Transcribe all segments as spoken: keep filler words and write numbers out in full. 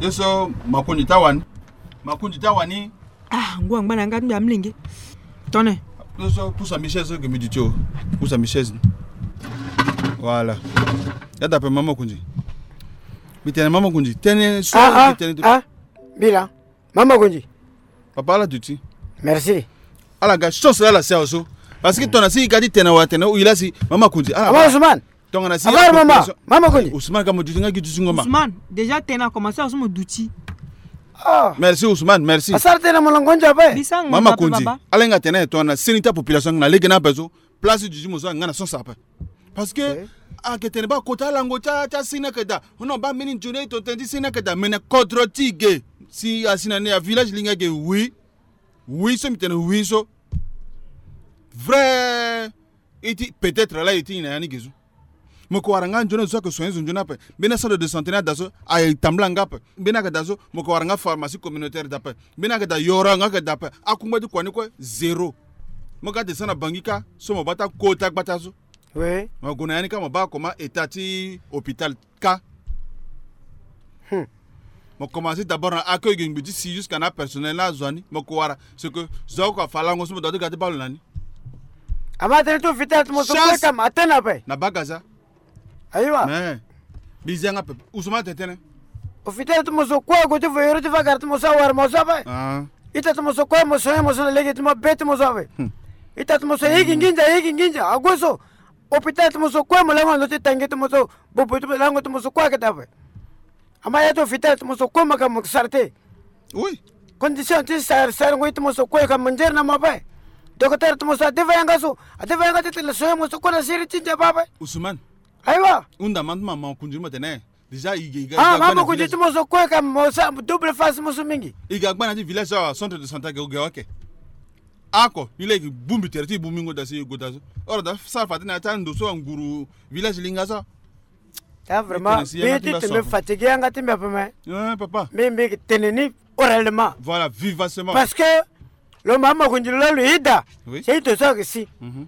Ye so Makonzi ti awani. Makonzi ti awani. Ah, ngu angba na nga ti mbi amlenge. Tone. Ye so pusa mbi chaise so ke mbi duti o. Pusa mbi chaise. Voilà. Ya da ape mama Makonzi. Mbi tene mama Makonzi. Tene so. Ah, ah, mbi tene ah. Mbi laa. Mama Makonzi. Papa, ala duti. Merci. Ala ga chance la ala si awe so. Parce que tongana si i ga ti tene awe atene ou i la si mama Makonzi. Ala. Ama Ousmane. Tongana si. Abar mama, mama Makonzi. Ousmane ka mo duti nga gi duti ngo ma. Ousmane, déjà tene akomanse awe so mo duti. Ah. Merci Ousmane, merci. Asara tene mo longo ndia ape. Mama Makonzi. Ala hinga tene tongana seni ti apopulation na lege ni ape so. Place du juge mo so nga na sens ape. Parce que, ok, ayeke tene baa kota alango ti a, ti aseni ayeke daa. Non, baa mbeni nzoni aye tongana tene ti seni ayeke daa. Mais na kodro ti e ge. Si asi na ni avillage linga ge, oui. Oui so mbi tene oui so. Vrai. E ti peut-être la e ti nyen na ya ni ge so. Mo yeke wara nga nzoni azo so ayeke soigner zo nzoni ape. Mbeni acentre de santé ni ada so aye tambula nga ape. Mbeni ayeke daa so mo yeke wara nga pharmacie communautaire daa ape. Mbeni ayeke daa yoro nga ayeke daa ape. Akungba ti kua ni kue zéro. Mo ga descend na Bangui kâ so mo baa ti akota gbata so. Oui. Mo gue na ya ni kâ mo baa comment état ti hôpital kâ. Hmm. Mo commencé d'abord na accueil ge ngbi ti si jusqu'à na apersonnel ni azo ni mo yeke wara. C'est que zo oko afa lango so mo doit ti ga ti baa lo na ni. Ama tënë ti hôpital ti mo so kue ka ma tene ape. Na baa Gaza. Ayiwa. Mais mbi zi yanga pepe. Ousmane atene tënë. Hôpital ti mo so kue ague ti voyoro ti fa gara ti mo so awara mo so ape. Ah. Ita ti mo so kue mo soigner mo so na lege ti mo be ti mo so ape. Hmm. Ita ti mo so yeke nginza, yeke nginza ague so. Hôpital ti mo so kue mo lango na ndö ti tangi ti mo so. Bobo ti mo lango ti mo so kue ayeke daa ape. Ama ya ti hôpital ti mo so kue mo ka mo sara te. Oui. Condition ti sara sarango ye ti mo so kue ka mo nzere na mo ape. Docteur ti mo so adeva yanga so, adeva yanga ti tene soigner mo so kue na seri ti ndia baa ape. Ousmane. Ayiwa. Hunda ma ti mama Makonzi mo tene. Déjà i ga, i ga, ah, i ga mama Makonzi ti mo so kue ka mo sara double face mo so mingi. I ga gba na ya ti village so awa centre de santé ake oge wake. Ako ni laa i ke bongbi tere ti i bongbi ngo daa si i go daa so. Oro daa sara fa ti na ya ti ando so anguru village linga so. Ah, vraiment, mbi ti tene mbi fatigué yanga ti mbi ape me. Eh, papa. Mbi, mbi yeke tene ni oralement. Voilà, vivacement. Parce que lo mama Makonzi lo laa lo yeda. Oui. C'est ito so ayeke si. Mhm.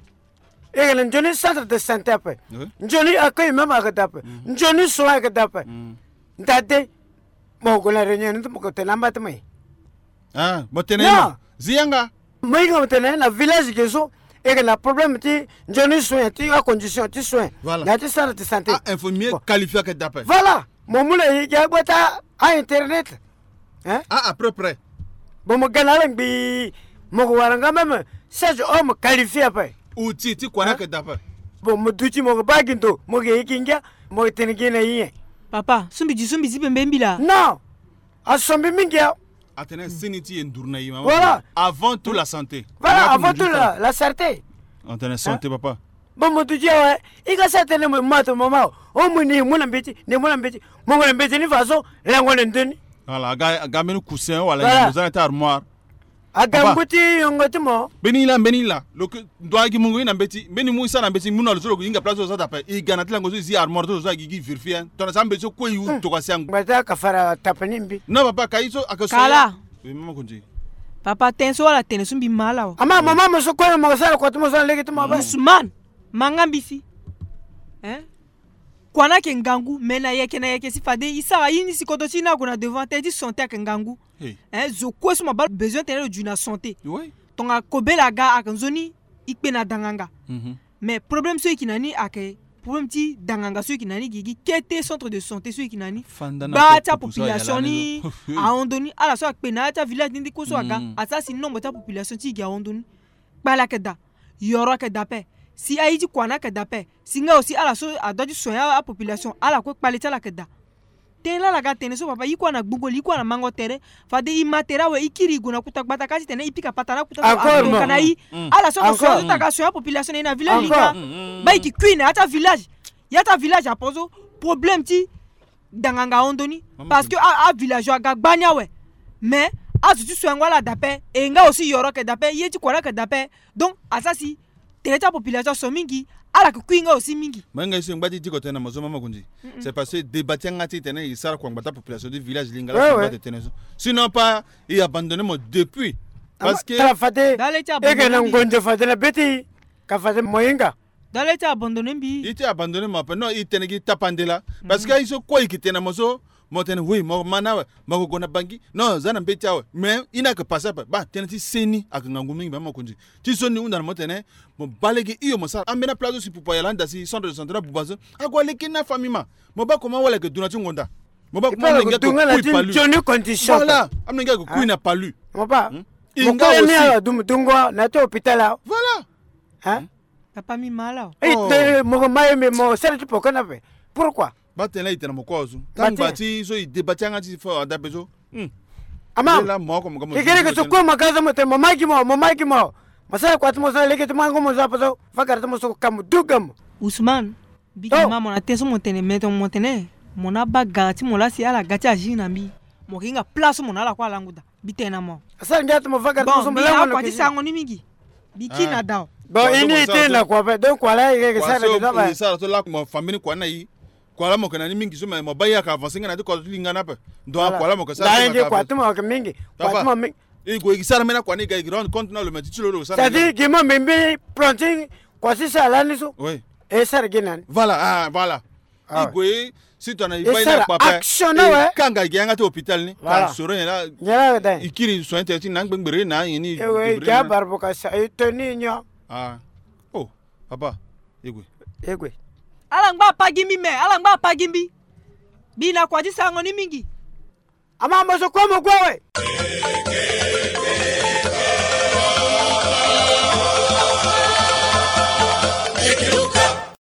E yeke na nzoni centre de santé ape. Oui. Nzoni accueil même ayeke daa ape. Mhm. Nzoni soin ayeke daa ape. Mhm. Nda de. Mo gue na réunion ni ti mo ko tene amba ti mo ye. Ah, mo tene ye. Non. Zi yanga. Mo hinga mo tene na village ge so e yeke na problème ti nzoni soin ti acondition ti soin. Voilà. Na ya ti centre de santé. Ah, infirmier qualifié ayeke daa ape. Voilà. Mo mu na e gi agba ti a-internet. Hein? Ah, à peu près. Bon, mo ga na ala ngbii. Mo ko wara nga même sage homme qualifié ape. Outil ti kua ni ayeke daa ape. Bon, mo duti mo ko baa gi ndo mo yeke ye gi ngia. Mo yeke tene gi na ye nyen? Papa, so mbi duti so mbi zi pembe mbi laa. Non. Asombi mingi awe. Atene seni ti e nduru na e mama. Voilà. Avant tout la santé. Voilà, avant tout la, la santé. Atene santé, hein? Papa. Bon, mo duti awe. I ga sara tene mo ma to mama o. O mo ni mo na mbeti, ni mo na mbeti. Mo na mbeti ni façon lango na ndö ni. Voilà, aga, aga mbeni coussin wala, voilà, mo za na ya ti armoire. Aga ngu ti yongo ti mo. Mbeni laa, mbeni laa. Lo ke ndo agi mungo i na mbeti. Mbeni mu i sara na mbeti, mu na lo so lo hinga place so lo za daa ape. I ga na ti lango so i zi armoire so lo so agi gi vérifier, hein. Tongana sa mbeti so kue i wu tokua si angu. Ngbata ka fara tape ni mbi. Non, papa, ka i so ake so. Kala. Oui, mama Makonzi. Papa, tënë so ala tene so mbi ma ala awe. Ama mama mo so kue mo sara kua ti mo so na lege ti mo ape. Ousmane, ma nga mbi si. Hein? Kua ni ayeke ngangu, mais na yeke na yeke si fade i sara ye ni si kodro ti i ni ague na devant, tënë ti santé ayeke ngangu. Hey. Hein, zo kue so mo baa lo besoin tene lo dui na santé. Oui. Tongana kobela aga ayeke nzoni i kpe na danganga. Mhm. Mais problème so i yeke na ni ayeke problème ti danganga so i yeke na ni gi gi kete centre de santé so i yeke na ni. Baa ti apopulation ni ahon ndo ni. Ala so akpe na ya ti avillage ni ndi kue so aga, asara si nombre ti apopulation ti i gi ahon ndo ni. Kpale ayeke daa. Yoro ayeke daa ape. Si aye ti kua ni ayeke daa ape. Si nga aussi ala so adoit ti soigner apopulation, ala kue kpale ti ala ayeke daa. Tënë laa ala ga tene so papa, i kue na gbungo li, i kue na mango tere. Fade i ma tere awe, i kiri i gue na kuta gbata kâ titene i pika patara na kuta so. Encore, ape ka na i. Ala so azo so aga soigner apopulation na i na village linga. Baa i ke kui na ya ti avillage. Ya ti avillage apo so problème ti danganga ahon ndo ni. Parce que a, avillageois aga gbani awe. Mais azo ti soingo ala daa ape. E nga aussi yoro ayeke daa ape, ye ti kua ni ayeke daa ape. Donc asara si tere ti apopulation aso mingi. Ala yeke kui nga aussi mingi. Mo hinga ye so e ngba ti diko tënë na mo so mama Makonzi. C'est parce que débat ti yanga ti tene e sara kua ngbata population ti village linga laa so e ngba ti tene so. Sinon pas e abandonné mo depuis. Parce que tara fade e yeke na ngonzo fade na be ti e. Ka fade mo hinga. Dale ti abandonné mbi. I ti abandonné mo ape. Non, i tene gi tapande laa. Parce que aye so kue i ke tene na mo so, Mo tene oui, mo ma na awe, mo ko gue na Bangui. Non, za na mbeti awe. Mais i na yeke passe ape. Baa, tënë ti seni ayeke ngangu mingi, me mokonzi. Ti so ni hunda na mo tene, mo baa lege hio mo sara ambeni aplace so si pupa ayala anda si centre de santé na buba so. Ague aleke ni na famille ma. Mo baa comment wala ayeke du na ti ngonda. Mo baa comment amolenge ayeke kui palu. Voilà, amolenge ayeke kui na palu. Mo baa. Mo kue ni ala du mo dungo na ti hôpital awe. Voilà. Hein? Papa mi ma ala. Mo ko ma ye me mo sara ti poko na ape. Pourquoi? Baa tene la e tene na mo kue awe so. Ntangu baa ti so e débat ti yanga ti fo ada ape so. Ama. Kekereke so kue mo ga so mo tene mo ma gi mo, mo ma gi mo. Mo sara kua ti mo so na lege ti mo ango mo so ape so. Fakara ti mo so ka mo du ga mo. Ousmane, biki ma mo na tënë so mo tene, me tongana mo tene mo na baa gara ti mo laa si ala ga ti agir na mbi, mo ke hinga place so mo na ala kue alangu daa. Mbi tene na mo. Asara ngia ti mo va gari ti mo so mo lango na kua ti sango ni mingi. Mbi kiri na dao. Bon, i ni i tene na kua ape, donc kua laa i yeke sara. Kua so e sara so laa mo fambe ni kua ni na i. Kua laa mo yeke na ni mingi so, me mo baa i ayeke avancer nga na ti kua ti linga ni ape. Donc kua laa mo yeke sara so me ayeke avancer. Kua ti mo ayeke mingi. Kua ti mo mingi. I gue i sara mbeni akua ni, i ga i rendre compte na lo, me ti ti lo lo sara. C'est-à-dire gi mo mbi mbi plan ti kua ti sara lani so. Oui. E sara gi na ni. Voilà, ah, voilà. I gue si tongana i baa i na kua ape, action na we, e kanga i gi yanga ti hôpital ni. Voilà. Ka soro nyen laa. Nyen laa da. I kiri soin tere ti na ngbe ngbere na nyen ni. Ewe, i gi abare boka sa, i toni nyon. Ah. Oh, papa. I gue. I gue. Ala ngba apa gi mbi me, ala ngba apa gi mbi. Mbi na kua ti sango ni mingi. Ama mo so kue mo gue awe.